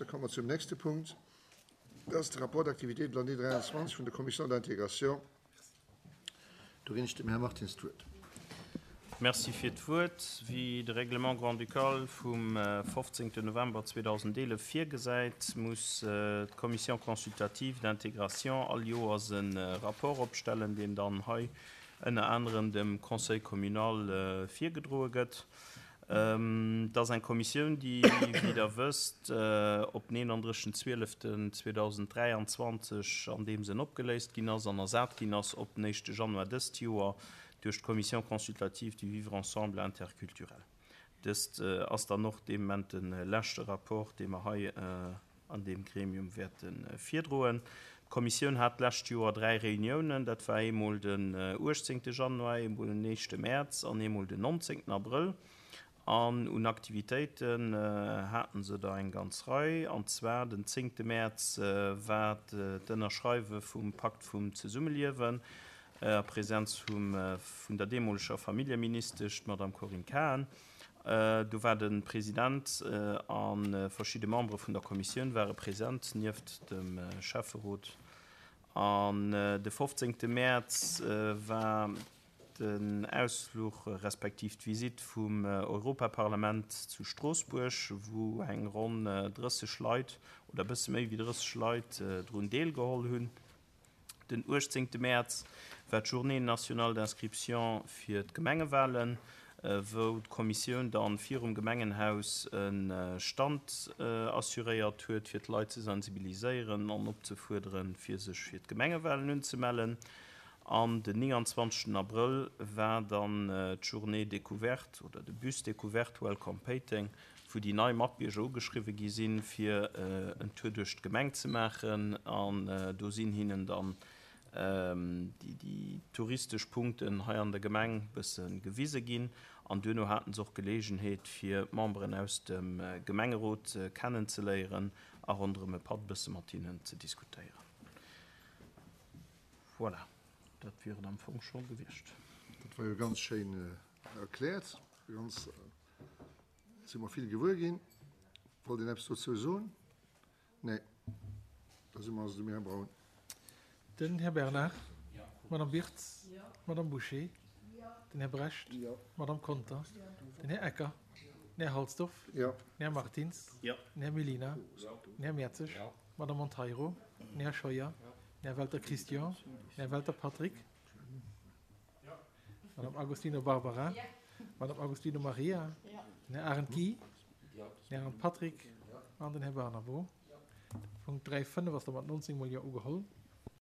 Da komme mer zum nächste Punkt. Dat ass de Rapport d'activité de l'année 23 vun der Commission d'intégration. Do ginn ech dem Här Martins d'Wuert. Merci fir d'Wuert. Wéi de Règlement grand-ducal vum 15. November 2011 virgesäit, muss d'Commission consultative d'intégration all Joers e Rapport opstellen, deen dann hei ënner anerem dem Conseil communal virgedroe gëtt. Et ass eng Kommissioun, déi, wéi Der wësst, op den 31. 12. 2023 an deem Sënn opgeléist ginn ass an ersat ginn ass op den éischte Januar dëst Joer duerch d'Commission consultative du vivre ensemble interculturel. Dëst ass dann och dee Moment de leschte Rapport, dee mer hei an deem Gremium wäerte virdroen. D'Kommissioun hat d'lescht Joer 3 Reuniounen, dat war eemol den 18. Januar, eemol den éischte Mäerz an eemol den 19. Abrëll. An un Aktivitéiten hate se der eng ganz Rei. An zwar den 10. Mäerz war d'Ënnerschreiwe vum Pakt vum Zesummeliewen a Präsenz vun der deemoleger Familljeministesch, d'Madame Corinne Cahen. Do war de President a verschidde Membere vun der Kommissioun ware present, nieft dem Schäfferot. An de 15. Mäerz war den Ausfluch respektiv d'Visitt vum Europaparlament zu Stroossbuerg, wou eng ronn 30 Leit oder e bësse méi wéi 30 Leit drun deelgeholl hunn. Den 18 Mäerz war d'Journée nationale d'inscription fir d'Gemengewalen, wou d'Kommissioun dann virum Gemengenhaus e Stand assuréiert huet, fir d'Leit ze sensibiliséieren an opzefuerderen, fir sech fir d'Gemengewalen unzemellen. An den 29 Abrëll war dann d'Journée découverte oder de Bus découverte Welcome Péiteng, wou déi nei Matbierger ugeschriwwe gi sinn, fir en Tour duerch d'Gemeng ze maachen. An do sinn hinnen dann déi touristesch Punkten hei an der Gemeng bësse gewise ginn. An duerno haten se och Geleegenheet, fir d'Memberen aus dem Gemengerot kennenzeléieren a ronderëm e Patt bësse mat hinnen ze diskutéieren. Voilà, dat wier et am Fong scho gewiescht. Dat war jo ganz schéin erkläert. Ganz. Si mer vill gewuer ginn. Wollt een eppes dozou soen? Nee. Da si mer also dem Här Braun. Den Här Bernard. D'Madame Wirtz. D'Madame Bouché. Den Här Brecht. D'Madame Conter. Den Här Ecker. Den Här Halsdorf. Den Här Martins. Den Här Mellina. Den Här Mertzig. D'Madame Monteiro. Den Här Scheuer. Den Här Welter Christian. Den Här Welter Patrick. Madame Agostino Barbara, Madame Agostino Maria, den Här Arendt Guy, den Här Arendt Patrick an den Här Barnabo. De Punkt 3, 5 ass da mat 19 mol Jo ugeholl.